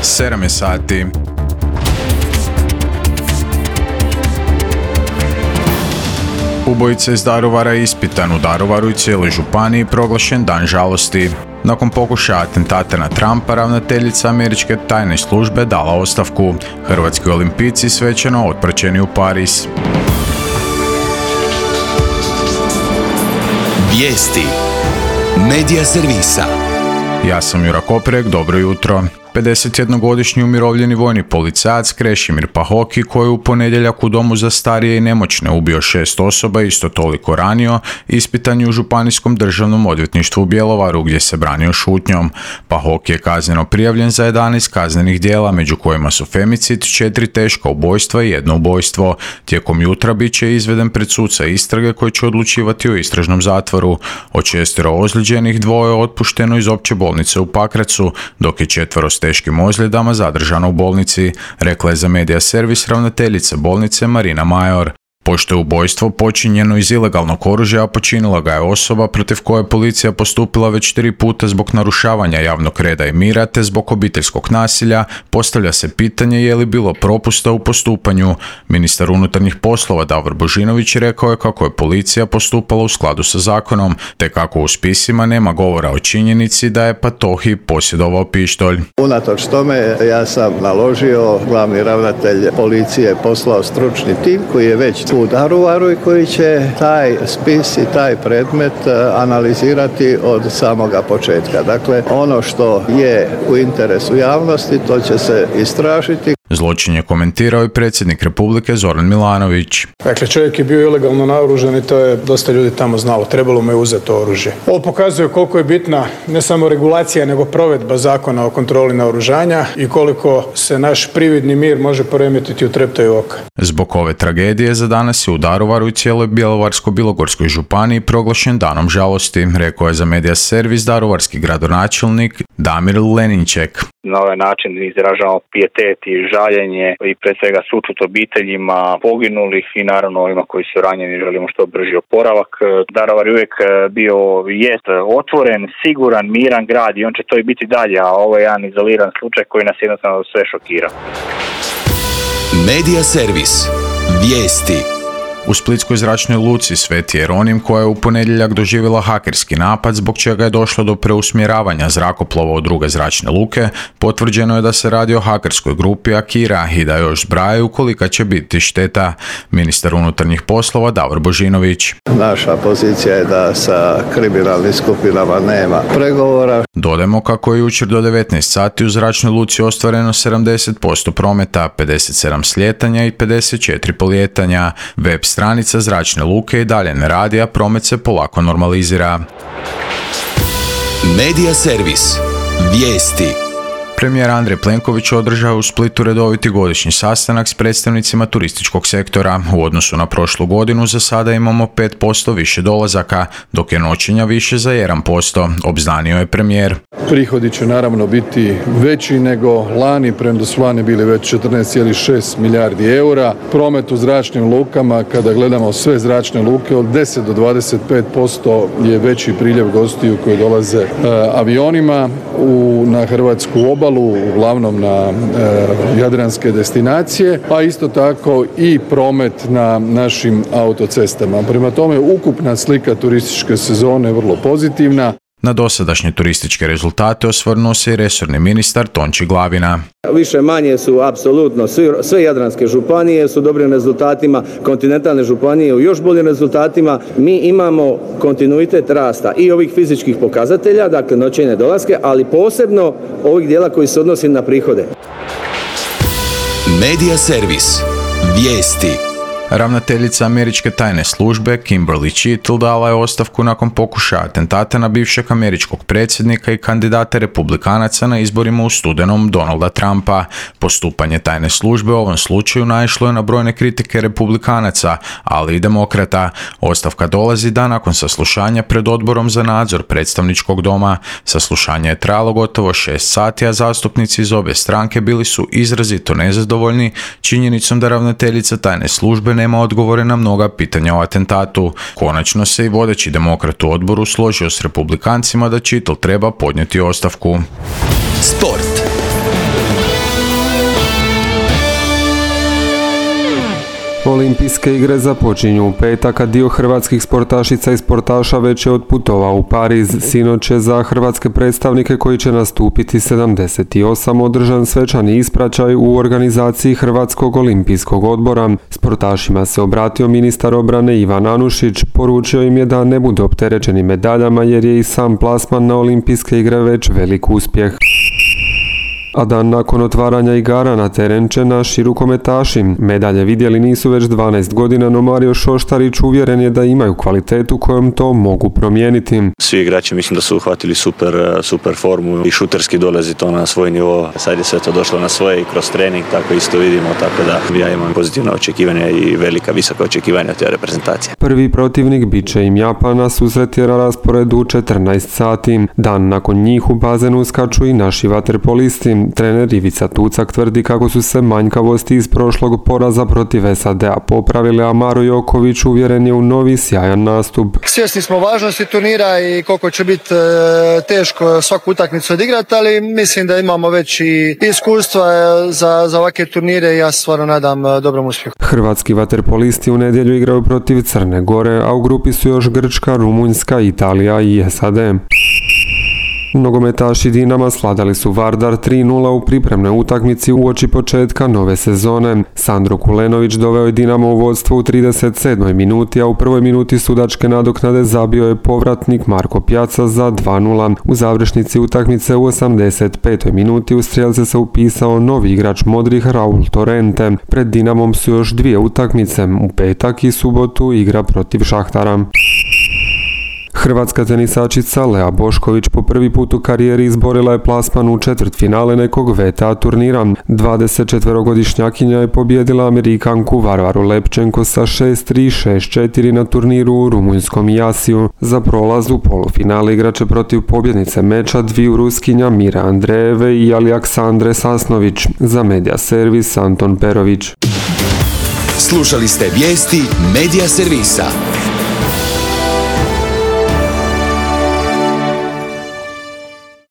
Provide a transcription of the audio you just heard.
7 je sati. Ubojica iz Daruvara je ispitan u Daruvaru i cijeloj županiji proglašen dan žalosti. Nakon pokušaja atentata na Trumpa, ravnateljica američke tajne službe dala ostavku. Hrvatski olimpijci svečano otpraćeni u Pariz. Vijesti Medija servisa. Ja sam Jura Koprek, dobro jutro. 51-godišnji umirovljeni vojni policajac Krešimir Pahoki, koji je u ponedjeljak u domu za starije i nemoćne ubio 6 osoba i isto toliko ranio, ispitan je u Županijskom državnom odvjetništvu u Bjelovaru, gdje se branio šutnjom. Pahoki je kazneno prijavljen za 11 kaznenih djela, među kojima su femicid, 4 teška ubojstva i 1 ubojstvo. Tijekom jutra bit će izveden pred suca istrage koji će odlučivati o istražnom zatvoru. Od 6 ozlijeđenih 2 je otpušteno iz opće bolnice u Pakracu, dok je 4 s teškim ozljedama zadržano u bolnici, rekla je za Medija servis ravnateljica bolnice Marina Major. Pošto je ubojstvo počinjeno iz ilegalnog oružja, a počinila ga je osoba protiv koje je policija postupila već 3 puta zbog narušavanja javnog reda i mira te zbog obiteljskog nasilja, postavlja se pitanje je li bilo propusta u postupanju. Ministar unutarnjih poslova Davor Božinović rekao je kako je policija postupala u skladu sa zakonom, te kako u spisima nema govora o činjenici da je Patohi posjedovao pištolj. Unatoč tome ja sam naložio, glavni ravnatelj policije poslao stručni tim koji je već u Daruvaru i koji će taj spis i taj predmet analizirati od samoga početka. Dakle, ono što je u interesu javnosti, to će se istražiti. Zločin je komentirao i predsjednik Republike Zoran Milanović. Dakle, čovjek je bio ilegalno naoružan i to je dosta ljudi tamo znalo. Trebalo mu je uzeti to oružje. Ovo pokazuje koliko je bitna ne samo regulacija, nego provedba zakona o kontroli naoružanja i koliko se naš prividni mir može poremetiti u treptaju oka. Zbog ove tragedije za danas je u Daruvaru i cijeloj Bjelovarsko-bilogorskoj županiji proglašen danom žalosti, rekao je za Medija servis daruvarski gradonačelnik Damir Leninček. Na ovaj način izražavamo pijetet i žaljenje i pre svega sućut obiteljima poginulih i naravno ovima koji su ranjeni želimo što brži oporavak. Daruvar je uvijek bio jest otvoren, siguran, miran grad i on će to i biti dalje, a ovo je jedan izoliran slučaj koji nas jednostavno sve šokira. Medija servis. Vijesti. U splitskoj zračnoj luci Sveti Jeronim, koja je u ponedjeljak doživjela hakerski napad zbog čega je došlo do preusmjeravanja zrakoplova u druge zračne luke, potvrđeno je da se radi o hakerskoj grupi Akira i da još zbrajaju kolika će biti šteta. Ministar unutarnjih poslova Davor Božinović. Naša pozicija je da sa kriminalnim skupinama nema pregovora. Dodajmo kako je jučer do 19 sati u zračnoj luci ostvareno 70% prometa, 57 slijetanja i 54 polijetanja. Web stranica zračne luke i dalje ne radi, a promet se polako normalizira. Medija servis. Vijesti. Premijer Andrej Plenković održao u Splitu redoviti godišnji sastanak s predstavnicima turističkog sektora. U odnosu na prošlu godinu za sada imamo 5% više dolazaka, dok je noćenja više za 1%, obznanio je premijer. Prihodi će naravno biti veći nego lani, premda su lani bili već 14,6 milijardi eura. Promet u zračnim lukama, kada gledamo sve zračne luke, od 10 do 25% je veći priljev gostiju koji dolaze avionima na hrvatsku obalu, uglavnom na jadranske destinacije, a isto tako i promet na našim autocestama. Prema tome, ukupna slika turističke sezone je vrlo pozitivna. Na dosadašnje turističke rezultate osvrnuo se i resorni ministar Tonči Glavina. Više manje su apsolutno sve jadranske županije su dobrim rezultatima, kontinentalne županije u još boljim rezultatima. Mi imamo kontinuitet rasta i ovih fizičkih pokazatelja, dakle noćenje dolaske, ali posebno ovih dijela koji se odnosi na prihode. Medija servis. Vijesti. Ravnateljica američke tajne službe Kimberly Chittle dala je ostavku nakon pokušaja atentata na bivšeg američkog predsjednika i kandidata republikanaca na izborima u studenom Donalda Trumpa. Postupanje tajne službe u ovom slučaju naišlo je na brojne kritike republikanaca, ali i demokrata. Ostavka dolazi dan nakon saslušanja pred odborom za nadzor predstavničkog doma. Saslušanje je trajalo gotovo 6 sati, a zastupnici iz obje stranke bili su izrazito nezadovoljni činjenicom da ravnateljica tajne službe nema odgovore na mnoga pitanja o atentatu. Konačno se i vodeći demokrat u odboru složio s republikancima da Chittle treba podnijeti ostavku. Sport. Olimpijske igre započinju u petak, a dio hrvatskih sportašica i sportaša već je otputovao u Pariz. Sinoć je za hrvatske predstavnike koji će nastupiti 78 održan svečani ispraćaj u organizaciji Hrvatskog olimpijskog odbora. Sportašima se obratio ministar obrane Ivan Anušić, poručio im je da ne budu opterećeni medaljama jer je i sam plasman na Olimpijske igre već velik uspjeh. A dan nakon otvaranja igara na teren će naši rukometaši. Medalje vidjeli nisu već 12 godina, no Mario Šoštarić uvjeren je da imaju kvalitetu kojom to mogu promijeniti. Svi igrači mislim da su uhvatili super formu i šuterski dolazi to na svoj nivo. Sad je sve to došlo na svoje i kroz trening, tako isto vidimo, tako da ja imam pozitivna očekivanja i visoka očekivanja od te reprezentacije. Prvi protivnik bit će im Japana, susret je na rasporedu u 14 sati. Dan nakon njih u bazenu uskaču i naši vaterpolisti. Trener Ivica Tucak tvrdi kako su se manjkavosti iz prošlog poraza protiv SAD-a popravile, a Maro Joković uvjeren je u novi sjajan nastup. Svjesni smo važnosti turnira i koliko će biti teško svaku utakmicu odigrati, ali mislim da imamo već i iskustva za ovakve turnire i ja se stvarno nadam dobrom uspjehu. Hrvatski vaterpolisti u nedjelju igraju protiv Crne Gore, a u grupi su još Grčka, Rumunjska, Italija i SAD. Nogometaši Dinama svladali su Vardar 3:0 u pripremnoj utakmici uoči početka nove sezone. Sandro Kulenović doveo je Dinamo u vodstvo u 37. minuti, a u prvoj minuti sudačke nadoknade zabio je povratnik Marko Pjaca za 2:0. U završnici utakmice u 85. minuti u strijelce se upisao novi igrač modrih Raul Torrente. Pred Dinamom su još dvije utakmice, u petak i subotu igra protiv Šahtara. Hrvatska tenisačica Lea Bošković po prvi put u karijeri izborila je plasman u četvrtfinale nekog VTA turnira. 24-godišnjakinja je pobijedila Amerikanku Varvaru Lepčenko sa 6-3, 6-4 na turniru u rumunjskom Jasiju. Za prolaz u polufinale igrače protiv pobjednice meča dviju Ruskinja Mira Andrejeve i Aleksandre Sasnović. Za Media Servis Anton Perović. Slušali ste vijesti Media Servisa.